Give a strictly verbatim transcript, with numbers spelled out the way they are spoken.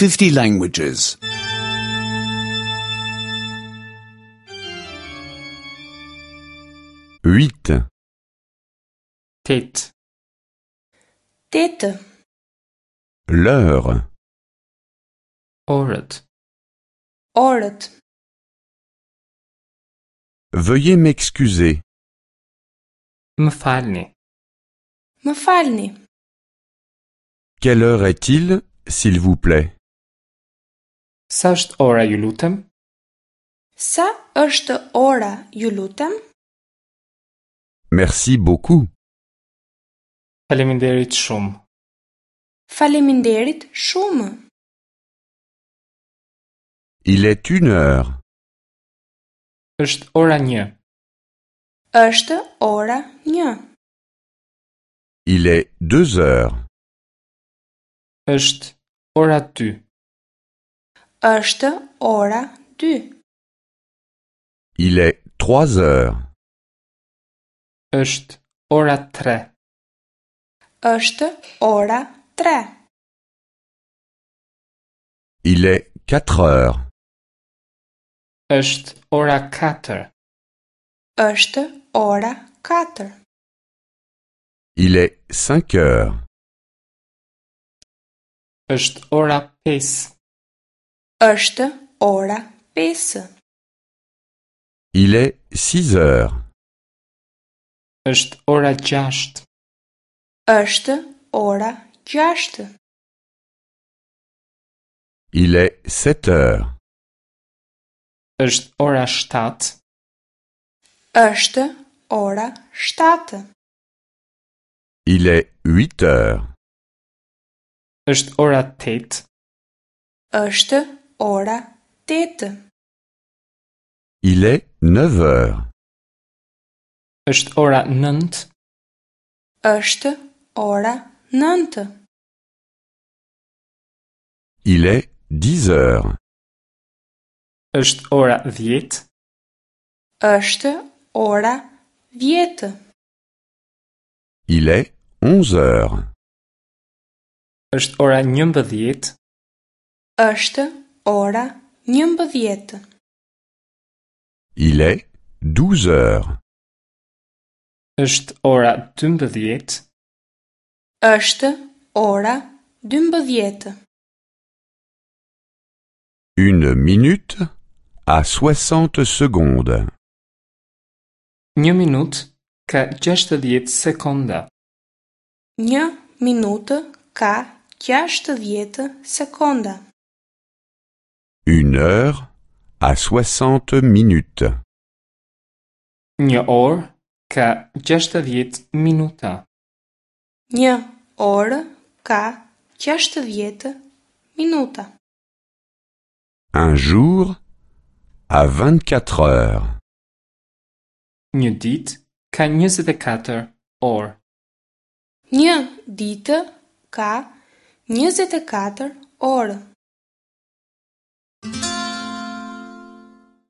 fifty languages. Huit, Tetë. Tetë. L'heure. Orët. Orët. Veuillez m'excuser. Më falni. Më falni. Quelle heure est-il, s'il vous plaît? Sa është ora, ju lutem? Sa është ora, ju lutem? Merci beaucoup. Faleminderit shumë. Faleminderit shumë. Il est une heure. Është ora një. Është ora një. Il est deux heures. Është ora dy. Është ora dy. Il est trois heures. Është ora tre. Është ora tre. Il est quatre heures. Është ora katër. Është ora katër. Il est cinq heures. Është ora pesë. Është ora pesë. Il est six heures. Është ora gjashtë. Është ora gjashtë. Il est sept heures. Është ora shtatë. Është ora shtatë. Il est huit heures. Është ora tetë. Është ora tetë. Il est neuf heures. Është ora nëntë. Është ora nëntë. Il est dix heures. Është ora dhjetë. Është ora dhjetë. Il est onze heures. Është ora njëmbëdhjetë. Është ora njëmbëdhjetë. Il est douze heures. Është ora dymbëdhjetë. Është ora dymbëdhjetë. Une minute a soixante secondes. Një minutë ka gjashtëdhjetë sekonda. Një minutë ka gjashtëdhjetë sekonda. Une heure a soixante minutes. Një orë ka gjashtëdhjetë minuta. Një orë ka gjashtëdhjetë minuta. Un jour a vingt-quatre heures. Një ditë ka njëzet e katër orë. Një ditë ka njëzet e katër orë.